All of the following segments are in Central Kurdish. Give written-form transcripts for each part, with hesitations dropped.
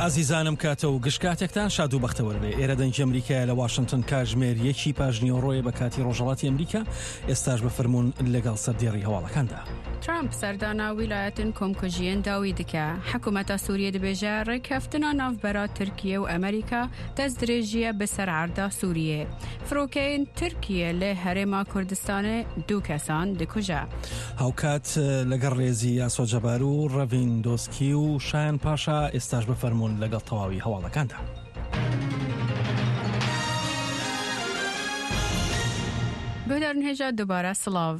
ئازیزانم کاتە و گشت کاتێکتان شاد و بەختەوەر بێ ئێرە دەنگی ئەمریکایە لە واشنتن کاژمێر یەکی پاژنیوەڕۆیە بە کاتی ڕۆژهەڵاتی ئەمریکا ئێستاش بە فەرموون لەگەڵ سەردێڕی هەواڵەکاندا. ترامپ سەردانا ویلایەتên komkujiyên dawî dike. Hikûmeta Sûriyê dibêje rêkeftina navbera Tirkiye û Amerîka destdirêjiye bi ser erda Sûriyê. Firokeyên Tirkiye li Herêma Kurdistanê du kesan dikuje. هاوکات لەگەڵ ڕێزی یاسۆ جەبار و ڕەڤین دۆسکی و شایان پاشا ئێستاش بفەرموون لەگەڵ تەواوی هەواڵەکاندا. Guhdarên hêja dubare silav.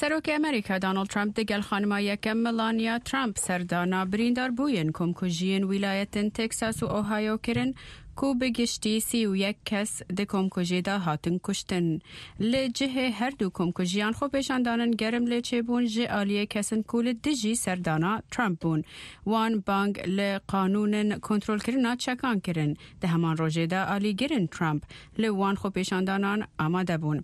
Serokê Amerîka Donald Trump digel xanima yekem Melania Trump serdana birîndarbûyên komkujiyên wîlayetên Texas û Ohio kirin ku bi giştî 31 kes di komkujiyê de hatin kuştin. Li cihê her du komkujiyan xwepêşandanin germ lê çêbûn ji aliyê kesin ku li dijî serdana Trump bûn. Wan bang li qanûnên kontrolkirina çekan kirin. Di heman rojê de alîgirên Trump li wan xwepêşandanan amade bûn.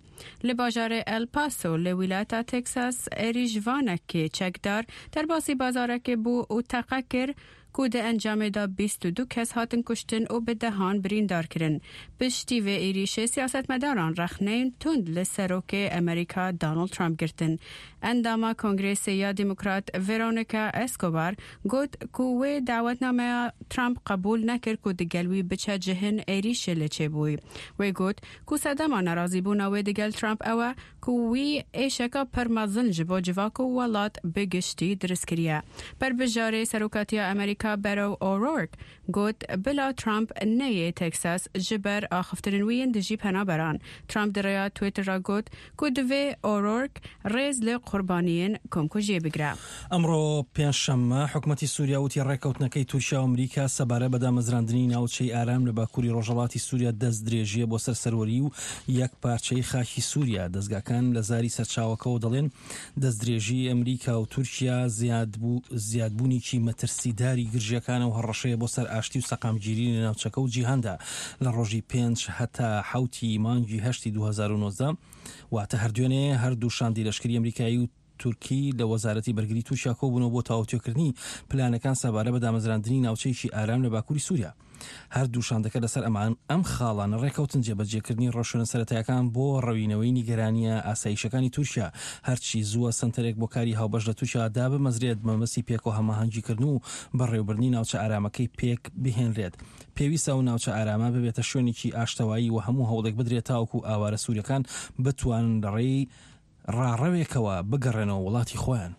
Li bajarê El Paso li wîlayeta Texas êrîşvanekê çekdar derbasî bazarekê bû û teqe kir ku di encamê de 22 kes hatin kuştin û bi dehan birîndar kirin. Piştî vê êrîşê siyasetmedaran rexneyên tund li Serokê Amerîka Donald Trump girtin. Endama Kongresê ya Demokrat Veronica Escobar got ku wê dawetnameya Trump qebûl nekir ku digel wî biçe cihên êrîşê lê çêbûyî. Wê got ku sedema nerazîbûna wê digel Trump ew e ku wî êşeka pir mezin ji bo civak û welat bi giştî dirist kiriye. Berbijarê Serokatiya Amerîka Beto O'Rourke got bila Trump neyê Texas ji ber axiftinên wî yên dijî penaberan. Trump di rêya Twitter re got ku divê O'Rourke rêz li qurbaniyên komkujiyê bigire. ئەمڕۆ پێنجشەممە، حکومەتی سووریا وتی ڕێککەوتنەکەی تورکیا و ئەمریکا سەبارەت بە دامەزراندنی ناوچەی ئارام لە باکووری ڕۆژهەڵاتی سووریا دەستدرێژییە بۆ سەر سەروەری و یەکپارچەیی خاکی سووریا. دەزگاکان لە زاری سەرچاوەکەوە دەڵێن دەستدرێژیی ئەمریکا و تورکیا زیادبوونێکی مەترسیداری گرژییەکانە و هەڕەشەیە بۆ سەر ئاشتی و سەقامگیری لە ناوچەکە و جیهاندا. لە ڕۆژی پێنج هەتا حەوتی مانگی هەشتی 2019 واتە هەر دوێنێ هەردوو شاندی لەشکری ئەمریکایی و تورکی لە وەزارەتی بەرگری تورکیا کۆبوونەوە بۆ تاوتوێکردنی پلانەکان سەبارە بە دامەزراندنی ناوچەیەکی ئارام لە باکووری سووریا. هەردوو شاندەکە لەسەر ئەمان ئەم خاڵانە ڕێکەوتن جێبەجێکردنی ڕێوشوێنە سەرەتایەکان بۆ ڕەوینەوەی نیگەرانییە ئاسایشەکانی تورکیا، هەرچی زووە سەنتەرێک بۆ کاری هاوبەش لە تورکیا دابمەزرێت بەمەبەستی پێکەوە هەماهەنگیکردن و بەڕێوەبردنی ناوچە ئارامەکەی پێک بهێنرێت. پێویستە ئەو ناوچە ئارامە ببێتە شوێنێکی ئاشتەوایی و هەموو هەوڵێک بدرێت تاوەکو ئاوارە سووریەکان بتوانن لەڕێی ڕاڕەوێکەوە بگەڕێنەوە وڵاتی خۆیان.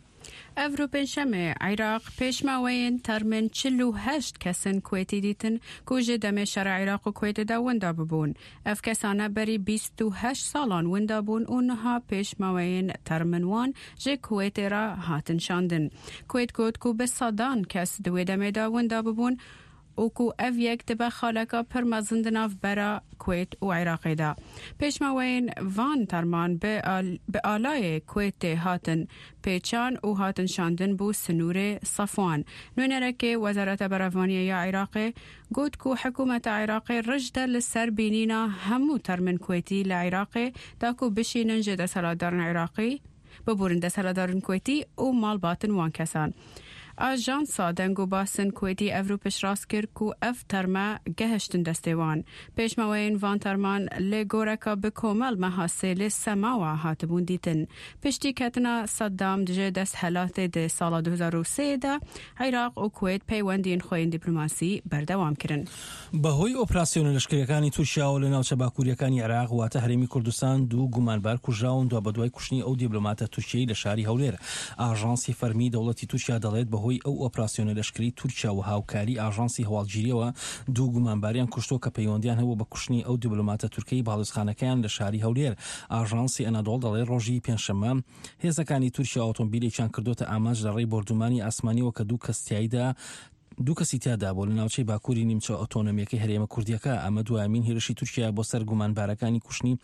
ئەڤرۆ پێنجشەمێ عیراق پێشماوەیên تەرمên 48 kesên Kuwêtî dîtin ku ji demê şerê Îraq û Kuwêtê de winda bibûn. Ev kesane berî 28 salan winda bûn û niha pêşmaweyên termên wan ji Kuwêtê re hatin şandin. Kuwêt got ku bi sedan kes di wê demê de winda bibûn û ku ev yek dibe xaleka pir mezin di navbera Kuwêt û Iraqê de. Pêşmaweyên van terman bi bi alayê Kuwêtê hatin pêçan û hatin şandin bo sinûrê Sefwan. Nûnerekê Wezareta Berevaniyê ya Iraqê got ku hikûmeta Iraqê rij de li ser bînîna hemû termên Kuwêtî li Iraqê da ku bişînin ji desthilatdarên Iraqî biborin desthilatdarên Kuwêtî û malbatên wan kesan. Ajansa Deng û Basên Kuwêtî evro piştrast kir ku ev terme gehiştin destê wan. Pêşmeweyên van terman li goreka bi komel meha sêlê Semawa hatibûn dîtin. Piştî ketina Saddam ji desthilatê di sala 2003 de Iraq û Kuwêt peywendiyên xwe yên dîplomasî berdewam kirin. بەهۆی ئۆپراسیۆنە لەشکرییەکانی تورکیاوە لە ناوچە باکوورییەکانی عێراق واتە هەرێمی کوردستان دوو گومانبار کوژراون دوابەدوای کوشتنی ئەو دیبلۆماتە تورکیەی لە شاری هەولێر. ئاژانسی فەرمی دەوڵەتی تورکیا دەڵێت بەهۆی ئەو ئۆپراسیۆنە لەشکری تورکیا و هاوکاری ئاژانسی هەواڵگیریەوە دوو گومانباریان کوشتووە کە پەیوەندیان هەبووە بە کوشتنی ئەو دیبلۆماتە تورکەی باڵیۆزخانەکەیان لە شاری هەولێر. ئاژانسی ئەنادۆڵ دەڵێت ڕۆژی پێنجشەممە هێزەکانی تورکیا ئۆتۆمبیلێکیان کردۆتە ئامانج لە ڕێی بۆردومانی ئاسمانیەوە کە دوو کەس تیایدا دوو کەسی تیادا بوو لە ناوچەی باکووری نیمچە ئۆتۆنۆمییەکەی هەرێمە کوردییەکە، ئەمە دوایەمین هێرشی تورکیایە بۆ سەر گومانبارەکانی کوشتنی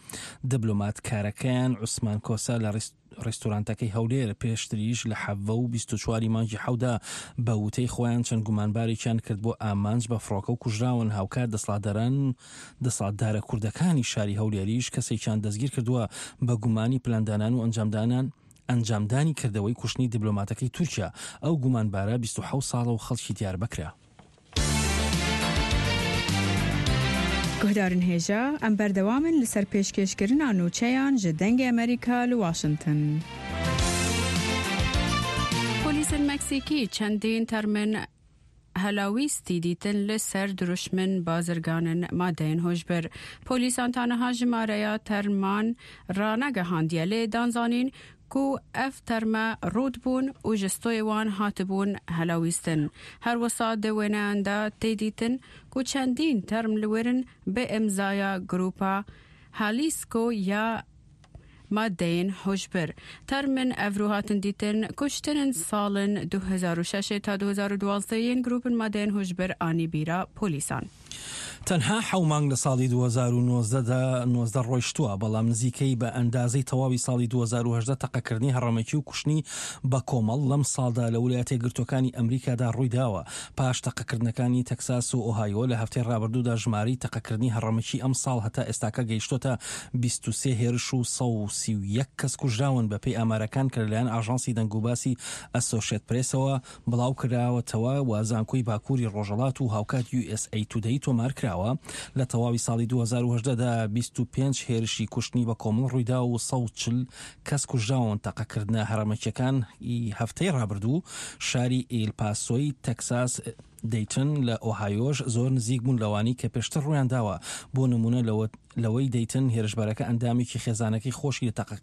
دبلۆماتکارەکەیان عوسمان کۆسە لە ڕیستورانتەکەی هەولێر، پێشتریش لە حەڤە و 24 ی مانگی حەودا بە وتەی خۆیان چەند گومانبارێکیان کرد بۆ ئامانج بە فڕۆکە و کوژراون، هاوکات دەسەڵاتداران دەسەڵاتدارە کوردەکانی شاری هەولێریش کەسێکیان دەستگیرکردووە بە گومانی پلاندانان و ئەنجامدانان ئەنجامدانی کردەوەی کوشتنی دیبلۆماتەکەی تورکیا، ئەو گومانبارە 27 ساڵە و خەڵکی دیاربەکرە. Guhdarên hêja, em berdewam in li ser pêşkêşkirina nûçeyan ji Dengê Amerîka li Washington. Polîsên Meksîkî çendîn termên helawîstî dîtin li ser dirûşmên bazirganên madeyên hojbir. Polîsan ta niha jimareya terman ranegihandiye lê dan zanîn ku ev terme rût bûn û ji stoyê wan hatibûn helawîstin. Her wisa di wêneyan de tê dîtin ku çendîn term li wir in bi îmzaya grûpa Jalisco ya madeyên huşbir. Termên ev rû hatin dîtin kuştinên salên 2006 ta 2012 yên grûpên madeyên huşbir anî bîra polîsan. تەنها حەو مانگ لە ساڵی 2019 دا 19 ڕۆیشتووە، بەڵام نزیکەی بە ئەندازەی تەواوی ساڵی 2018 تەقەکردنی هەڕەمەکی و کوشتنی بەکۆمەڵ لەم ساڵدا لە ولایەتە یەکگرتووەکانی ئەمریکادا ڕوویداوە. پاش تەقەکردنەکانی تەکساس و ئۆهایۆ لە هەفتەی ڕابردوودا ژمارەی تەقەکردنی هەڕەمەکی ئەمساڵ هەتا ئێستاکە گەیشتۆتە 23 هێرش و 131 کەس کوژراون بەپێی ئامارەکان کە لەلایەن ئاژانسی دەنگوباسی ئەسۆشێت پرێسەوە بڵاوکراوەتەوە و زانکۆی باکووری ڕۆژهەڵات و هاوکات یو ئێس ئەی تودەی تۆمارکراوە، لە تەواوی ساڵی 2018 دا 25 هێرشی کوشتنی بەکۆمەڵ ڕوویدا و 140 کەس کوژراون، تەقەکردنە هەڕەمەکیەکان ی هەفتەی ڕابردوو شاری ئیل پاسۆی تەکساس، دەیتن لە ئۆهایۆش زۆر نزیک بوون لەوانەی کە پێشتر ڕوویانداوە، بۆ نموونە لەوەی دەیتن هێرشبەرەکە ئەندامێکی خێزانەکەی خۆشی لە تەقە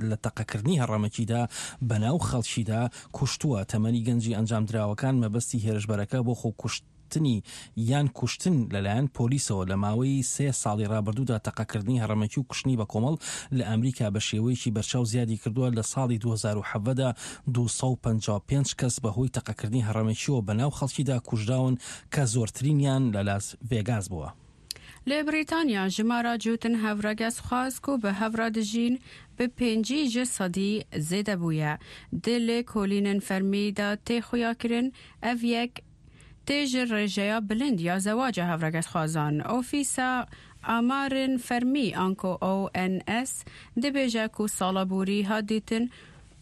لە تەقەکردنی هەڕەمەکیدا بەناو خەڵکیدا کوشتووە، تەمەنی گەنجی ئەنجامدراوەکان مەبەستی هێرشبەرەکە بۆ خۆکوشتنی یان کوشتن لەلایەن پۆلیسەوە لە ماوەی سێ ساڵی ڕابردوودا تەقەکردنی هەڕەمەکی و کوشتنی بەکۆمەڵ لە ئەمریکا بە شێوەیەکی بەرچاو زیادی کردووە لە ساڵی 2017 دا 255 کەس بەهۆی تەقەکردنی هەڕەمەکیەوە بەناو خەڵکیدا کوژراون کە زۆرترینیان لە لاس ڤێگاس بووە. Li Brîtanya jimara cûtin hevregezxwaz ku bi hev re dijîn bi 50 ji sedî zêde bûye. Di lêkolînên fermî de tê xuyakirin ev yek tê ji rêjeya bilind ya zewaca hevregezxwazan. Ofîsa Amarên Fermî anko ONS dibêje ku sala borî hat dîtin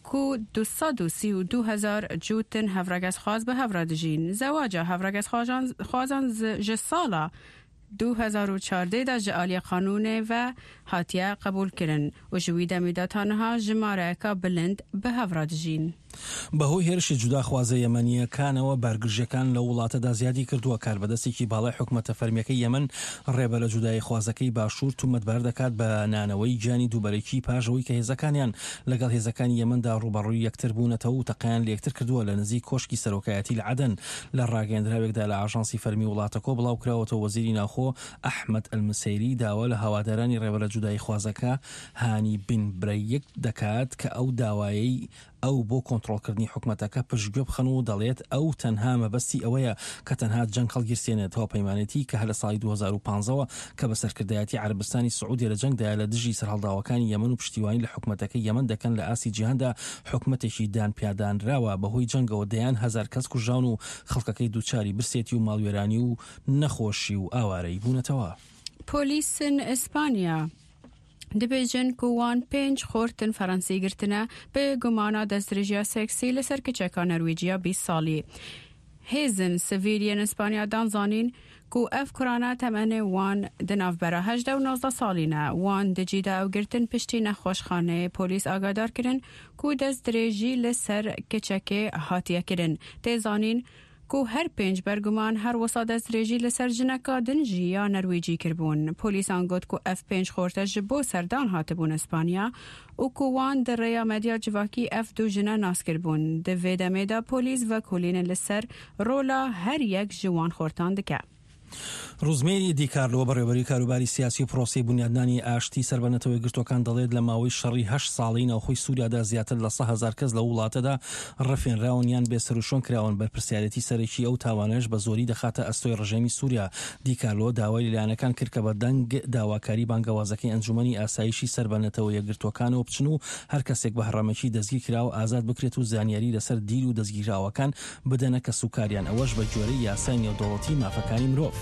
ku 232 hezar cûtin hevregezxwaz bi hev re dijîn. Zewaca hevregezxwazan ji sala 2014 de ji aliyê qanûnê ve hatiye qebûlkirin û ji wî demê de ta niha jimareyeka bilind bi hev re dijîn. بەهۆی هێرشی جوداخوازە یەمەنییەکانەوە بارگرژییەکان لەو وڵاتەدا زیادی کردووە، کاربەدەستێکی باڵای حکومەتە فەرمییەکەی یەمەن ڕێبەرە جوداییخوازەکەی باشوور تومەتبار دەکات بە نانەوەی گیانی دووبەرەکی پاش ئەوەی کە هێزەکانیان لەگەڵ هێزەکانی یەمەندا ڕووبەڕووی یەکتر بوونەتەوە و تەقەیان لەیەکتر کردووە لە نزیک کۆشکی سەرۆکایەتی لە عەدەن. لە ڕاگەیەندراوێکدا لە ئاژانسی فەرمی وڵاتەکۆ بڵاوکراوەتەوە وەزیری ناوخۆ ئەحمەد ئەلمسەیری داوا لە هەوادارانی ڕێبەرە جوداییخوازەکە هانی بن برەیک دەکات کە ئەو داوایەی ئەو بۆ کۆنتڕۆڵکردنی حکومەتەکە پشتگوێ بخەن و دەڵێت ئەو تەنها مەبەستی ئەوەیە کە تەنها جەنگ هەڵگیرسێنێت هاوپەیمانێتی کە هەر لە ساڵی 2015 وە کە بە سەرکردایەتی عەرەبستانی سعودیە لە جەنگدایە لە دژی سەرهەڵداوەکانی یەمەن و پشتیوانی لە حکومەتەکەی یەمەن دەکەن لە ئاستی جیهاندا حکومەتێکی دانپیادانراوە بەهۆی جەنگەوە دەیان هەزار کەس کوژراون و خەڵکەکەی دووچاری برسێتی و ماڵوێرانی و نەخۆشی و ئاوارەیی بوونەتەوە. پۆلیسن ئیسپانیا dibêjin ku wan pênc xortin Fransî girtine bi gumana destdirêjiya seksî li ser keçeka Norwêciya 20 salî. Hêzên sivîl yên Îspanya dan zanîn ku ev kurana temenê wan di navbera 18 û 19 salî ne. Wan di cî de ew girtin piştî nexweşxaneyê polîs agadar kirin ku destdirêjî li ser keçekê hatiye kirin. Tê zanîn ku her pênc berguman her wisa destdirêjî li ser jineka din jî ya Norwêcî kiribûn. Polîsan got ku ev pênc xorte ji bo serdan hatibûn Îspanya û ku wan di rêya medya civakî ev du jine nas kiribûn. Di vê demê de polîs vekolînê li ser rola her yek ji wan xortan dike. ڕوزمێری دیکارلۆ بەڕێوەبەری کاروباری سیاسی و پرۆسەی بونیادنانی ئاشتی سەر بە نەتەوە یەکگرتووەکان دەڵێت لە ماوەی شەڕی هەشت ساڵەی ناوخۆی سوریادا زیاتر لە 100,000 کەس لەو وڵاتەدا ڕفێنراون یان بێسەروشوێن کراون بەرپرسیارێتی سەرەکی ئەو تاوانەش بە زۆری دەخاتە ئەستۆی ڕژێمی سوریا دیکارلۆ داوای لە لایەنەکان کرد کە بە دەنگ داواکاری بانگەوازەکەی ئەنجومەنی ئاسایشی سەر بە نەتەوە یەکگرتووەکانەوە بچن و هەر کەسێک بە هەڕەمەکی دەستگیرکراوە ئازاد بکرێت و زانیاری لەسەر دیل و دەستگیراوەکان بدەنە کەسوکاریان، ئەوەش بە گوێرەی یاسای نێودەوڵەتی مافەکانی مرۆڤ.